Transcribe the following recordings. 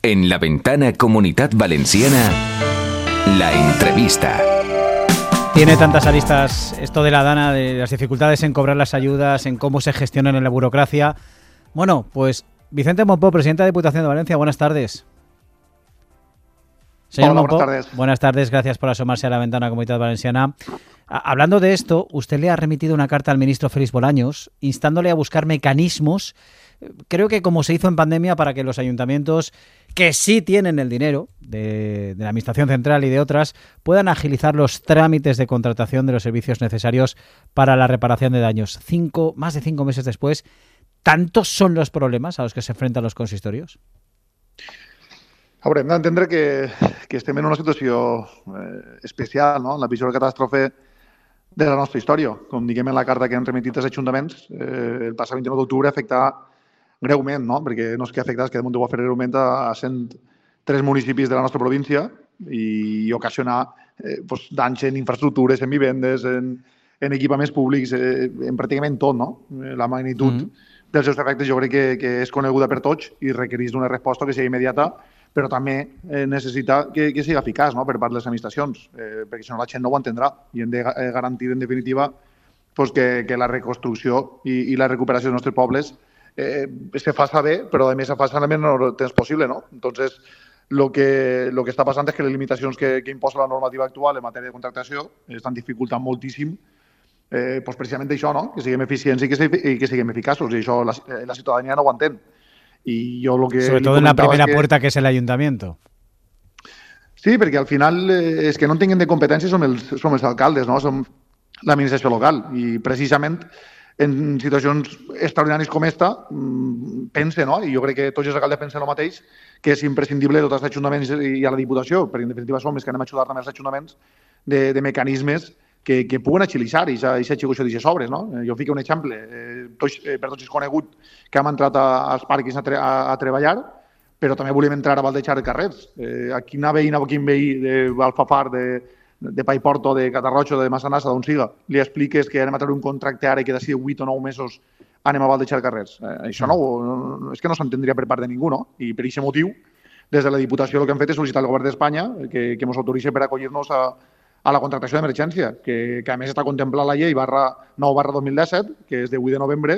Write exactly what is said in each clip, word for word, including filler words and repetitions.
En La Ventana Comunidad Valenciana, la entrevista. Tiene tantas aristas esto de la Dana, de las dificultades en cobrar las ayudas, en cómo se gestionan en la burocracia. Bueno, pues Vicente Mompó, presidente de la Diputación de Valencia, buenas tardes. Señor Hola, Mompó, buenas tardes. Buenas tardes, gracias por asomarse a La Ventana Comunidad Valenciana. Hablando de esto, usted le ha remitido una carta al ministro Félix Bolaños instándole a buscar mecanismos, creo que como se hizo en pandemia, para que los ayuntamientos que sí tienen el dinero de, de la Administración Central y de otras puedan agilizar los trámites de contratación de los servicios necesarios para la reparación de daños. Cinco, más de cinco meses después, ¿tantos son los problemas a los que se enfrentan los consistorios? A veure, hem d'entendre que, que estem en una situació eh, especial, no? La pitjor catàstrofe de la nostra història. Com diguem en la carta que han remitit els ajuntaments, eh, el passat vint-i-nou d'octubre afectà greument, no? Perquè no és que afectà, és que de munt ho va fer greument a cent tres municipis de la nostra província i ocasionar eh, pues, danys en infraestructures, en vivendes, en, en equipaments públics, eh, en pràcticament tot, no? La magnitud mm -hmm. dels seus efectes jo crec que, que és coneguda per tots i requereix d'una resposta que sigui immediata, però també eh, necessita que, que sigui eficaç, no?, per part de les administracions, eh, perquè si no la gent no ho entendrà i hem de garantir, en definitiva, pues, que, que la reconstrucció i, i la recuperació dels nostres pobles eh, se faça bé, però a més se faça el menor temps possible, no? Entonces, lo que, lo que està passant és que les limitacions que, que imposa la normativa actual en matèria de contractació estan dificultant moltíssim eh, pues, precisament això, no?, que siguem eficients i que, i que siguem eficaços, i això la, la ciutadania no ho entén. Y yo lo que Sobre todo en la primera que... puerta, que es el ayuntamiento. Sí, perquè al final eh, és que no en tinguin de competències som els, som els alcaldes, no? Som l'administració local i precisament en situacions extraordinàries com esta pense, no? I jo crec que tots els alcaldes pensen el mateix, que és imprescindible dotar als ajuntaments i a la Diputació, perquè en definitiva som els que anem a ajudar també als ajuntaments de, de mecanismes que, que puguen agilitzar aquesta execució d'aquestes obres, no? Jo fico un exemple. Eh, tots, eh, per tots és conegut que hem entrat a, als parcs a, tre a, a treballar, però també volem entrar a baldejar els carrers. Eh, a quina veïna o quin veí d'Alfafar, de, de Paiporto, de Catarroja, de Massanassa, d'on siga, li expliques que anem a treure un contracte ara i que d'ací vuit o nou mesos anem a baldejar carrers. Eh, això no, no, és que no s'entendria per part de ningú, no? I per aquest motiu, des de la Diputació el que hem fet és sol·licitar al Govern d'Espanya que, que ens autoritzi per acollir-nos a a la contractació d'emergència, que, que a més està contemplant la llei barra nou barra dos mil disset, que és de vuit de novembre,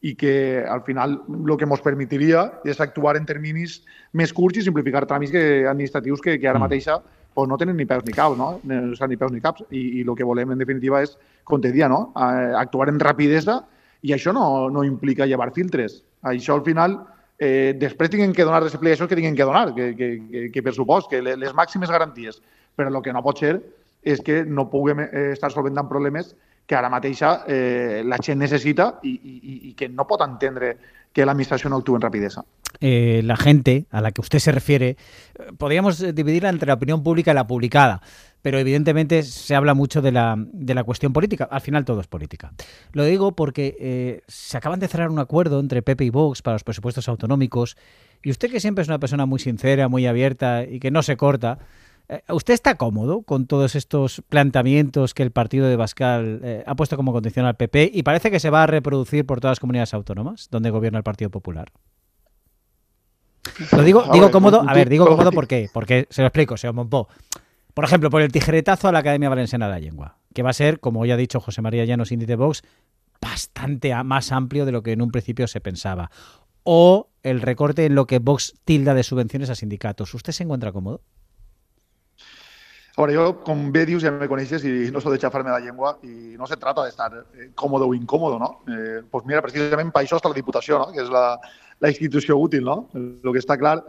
i que al final el que ens permetiria és actuar en terminis més curts i simplificar tràmits que, administratius que, que ara mateixa pues, no tenen ni peus ni caps, no? O sigui, ni peus ni caps. I, i el que volem, en definitiva, és, com te dia, no? Actuar amb rapidesa, i això no, no implica llevar filtres. Això, al final, eh, després tinguin que donar les explicacions que tinguin que donar, que, que, que, que per supost, que les màximes garanties. Però el que no pot ser és que no puguem estar solventant problemes que ara mateixa eh, la gent necessita i, i, i que no pot entendre que la administración no actúe en rapidez. Eh, la gente a la que usted se refiere, podríamos dividirla entre la opinión pública y la publicada, pero evidentemente se habla mucho de la, de la cuestión política. Al final todo es política. Lo digo porque eh, se acaban de cerrar un acuerdo entre P P y Vox para los presupuestos autonómicos, y usted, que siempre es una persona muy sincera, muy abierta y que no se corta, ¿usted está cómodo con todos estos planteamientos que el partido de Bascal eh, ha puesto como condición al P P y parece que se va a reproducir por todas las comunidades autónomas donde gobierna el Partido Popular? Lo digo, digo cómodo, a ver, digo cómodo ¿por qué? Porque, se lo explico, señor Mompó. Por ejemplo, por el tijeretazo a la Academia Valenciana de la Lengua, que va a ser, como ya ha dicho José María Llanos, índice de Vox, bastante más amplio de lo que en un principio se pensaba. O el recorte en lo que Vox tilda de subvenciones a sindicatos. ¿Usted se encuentra cómodo? A veure, jo, com bé dius, ja me coneixes i no sóc de xafar-me la llengua i no se trata d'estar eh, còmode o incòmodo, no? Eh, pues mira, precisament per això està la Diputació, no?, que és la, la institució útil, no? El que està clar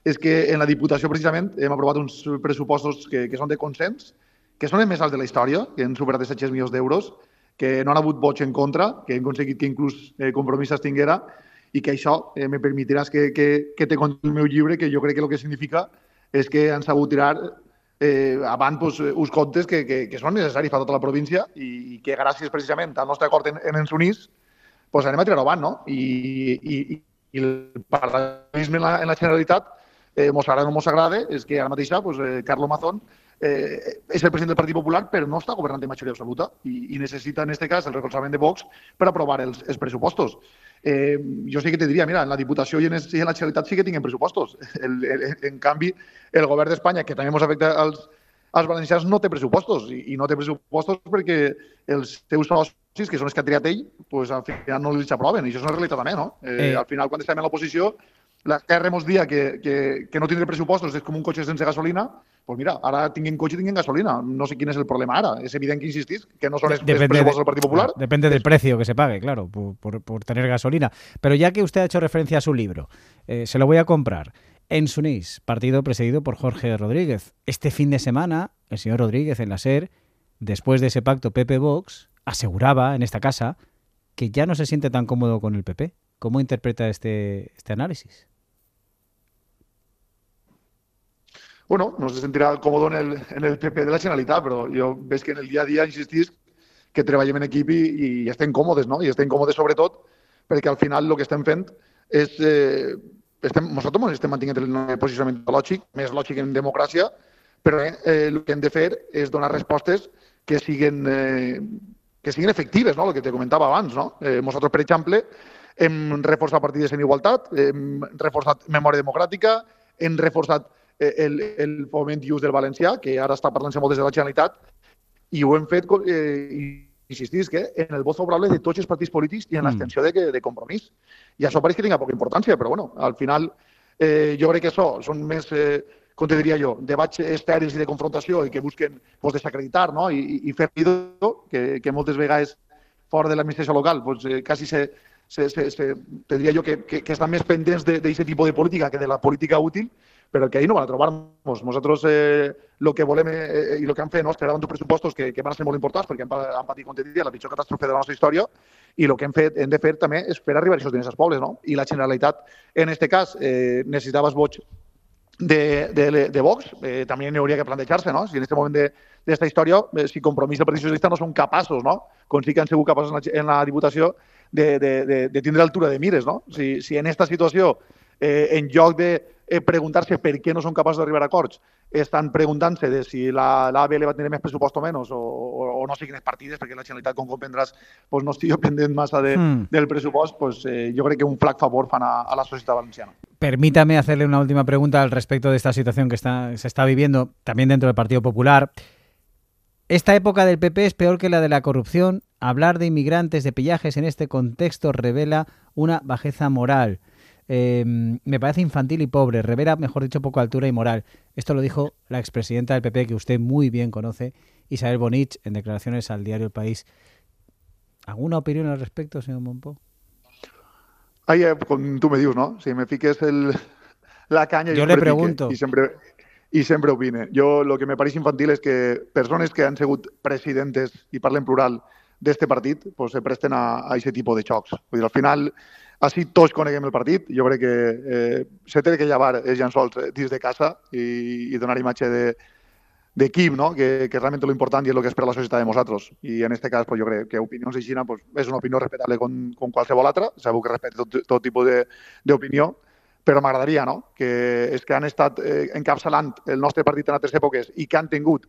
és que en la Diputació, precisament, hem aprovat uns pressupostos que, que són de consens, que són els més alts de la història, que han superat els set-cents milions d'euros, que no han hagut vots en contra, que hem aconseguit que inclús eh, Compromís s'extinguera, i que això eh, me permetiràs que, que, que te conti el meu llibre, que jo crec que el que significa és que han sabut tirar eh, avant pues, uns comptes que, que, que són necessaris per tota la província i, i que gràcies precisament al nostre acord en, en ens unís pues, anem a tirar avant, no? I, i, i el parlamentarisme en la, en la Generalitat, eh, mos agrada o no mos agrada, és que ara mateixa pues, eh, Carlos Mazón eh, és el president del Partit Popular, però no està governant de majoria absoluta i, i necessita, en aquest cas, el recolzament de Vox per aprovar els, els pressupostos. Eh, jo sí que te diria, mira, en la Diputació i en, i en la Generalitat sí que tinguem pressupostos. El, el, en canvi, el govern d'Espanya, que també ens afecta als, als valencians, no té pressupostos. I, i no té pressupostos perquè els seus socis, que són els que ha triat ell, pues, al final no els aproven. I això és una realitat també, no? Eh, eh. Al final, quan estem en l'oposició, l'esquerra ens dia que, que, que no tindre pressupostos és com un cotxe sense gasolina, doncs mira, ara tinguin cotxe i tinguin gasolina. No sé quin és el problema ara. És evident que insistís que no son los presupuestos del Partido Popular. Depende del precio que se pague, claro, por, por, por tener gasolina. Pero ya que usted ha hecho referencia a su libro, eh, se lo voy a comprar. En Sunís, partido presidido por Jorge Rodríguez. Este fin de semana, el señor Rodríguez en la SER, después de ese pacto P P-Vox, aseguraba en esta casa que ya no se siente tan cómodo con el P P. ¿Cómo interpreta este, este análisis? Bueno, no se sentirà còmode en el, en el P P de la Generalitat, però jo veig que en el dia a dia insistís que treballem en equip i, i estem còmodes, no? I estem còmodes sobretot perquè al final el que estem fent és... Eh, estem, nosaltres estem mantenint el posicionament lògic, més lògic en democràcia, però eh, el que hem de fer és donar respostes que siguin, eh, que siguin efectives, no? El que te comentava abans, no? Eh, nosaltres, per exemple, hem reforçat partides en igualtat, hem reforçat memòria democràtica, hem reforçat el, el foment i ús del valencià, que ara està parlant-se molt des de la Generalitat, i ho hem fet, eh, insistís, que en el vot favorable de tots els partits polítics i en l'extensió de, de compromís. I això pareix que tinga poca importància, però bueno, al final eh, jo crec que això són més, eh, com te diria jo, debats estèrils i de confrontació i que busquen pues, desacreditar, no? I, i fer ruïdo, que, que moltes vegades fora de l'administració local pues, eh, quasi se, se, se, se, te diria jo que, que, que estan més pendents d'aquest tipus de política que de la política útil, però que ahí no van a trobar-nos. Nosaltres eh, lo que volem eh, i el que han fet no, és crear uns pressupostos que, que van ser molt importants perquè han, han patit, com te diria, la pitjor catàstrofe de la nostra història i el que hem, fet, hem de fer també és fer arribar aquests diners als pobles. No? I la Generalitat, en aquest cas, eh, necessitava els vots de, de, de Vox, eh, també n'hi hauria que plantejar-se, no? Si en aquest moment d'aquesta història, eh, si Compromís i el Partit Socialista no són capaços, no? Com sí que han sigut capaços en la, en la Diputació de, de, de, de tindre altura de mires, no? Si, si en aquesta situació, eh, en lloc de eh, preguntar-se per què no són capaços d'arribar a acords, estan preguntant-se de si la, la A B L va tenir més pressupost o menys, o, o, o no sé quines partides, perquè la Generalitat, com comprendràs, pues no estic pendent massa de, mm. del pressupost, pues, eh, yo creo que un flac favor fan a, a la sociedad valenciana. Permítame hacerle una última pregunta al respecto de esta situación que está, se está viviendo también dentro del Partido Popular. Esta época del P P es peor que la de la corrupción. Hablar de inmigrantes, de pillajes en este contexto revela una bajeza moral. Eh, me parece infantil y pobre, revela, mejor dicho, poco altura y moral. Esto lo dijo la expresidenta del P P, que usted muy bien conoce, Isabel Bonich, en declaraciones al diario El País. ¿Alguna opinión al respecto, señor Mompó? Ahí, eh, com tu me dius, no? Si me fiques el, la canya... Jo le pregunto. I sempre, i sempre opine. Jo, el que me pareix infantil és que persones que han sigut presidentes, i parlen plural, d'este partit, pues, se presten a aquest tipus de xocs. Vull dir, al final, així tots coneguem el partit. Jo crec que eh, se té que llevar els llençols dins de casa i, i donar imatge de d'equip, no? que, que realment l'important i és el que espera la societat de nosaltres. I en aquest cas, pues, jo crec que opinions així pues, és una opinió respectable com, com qualsevol altra, segur que respecte tot, tot tipus d'opinió, però m'agradaria no? que els que han estat eh, encapçalant el nostre partit en altres èpoques i que han tingut,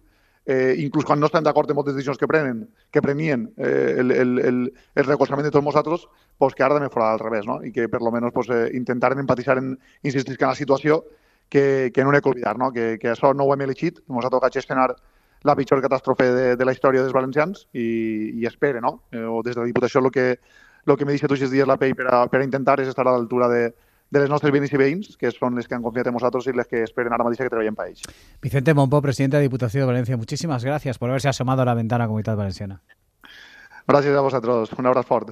eh, inclús quan no estan d'acord amb moltes decisions que prenen, que prenien eh, el, el, el, el recolzament de tots nosaltres, pues, que ara també fora al revés, no? I que per lo menos pues, eh, intentaren empatitzar en insistir que en la situació que, que no n'he que oblidar, no? Que, que això no ho hem elegit, ens ha tocat gestionar la pitjor catàstrofe de, de la història dels valencians i, i espere, no? Eh, o des de la Diputació el que, lo que me dice tots els dies la P E I per a, per a intentar és estar a l'altura de, de les nostres veïns i veïns, que són les que han confiat en nosaltres i les que esperen ara mateix que treballem per ells. Vicente Mompó, presidente de Diputación de Valencia, muchísimas gracias por haberse asomado a la ventana Comunitat Valenciana. Gràcies a vosaltres. Un abraç fort.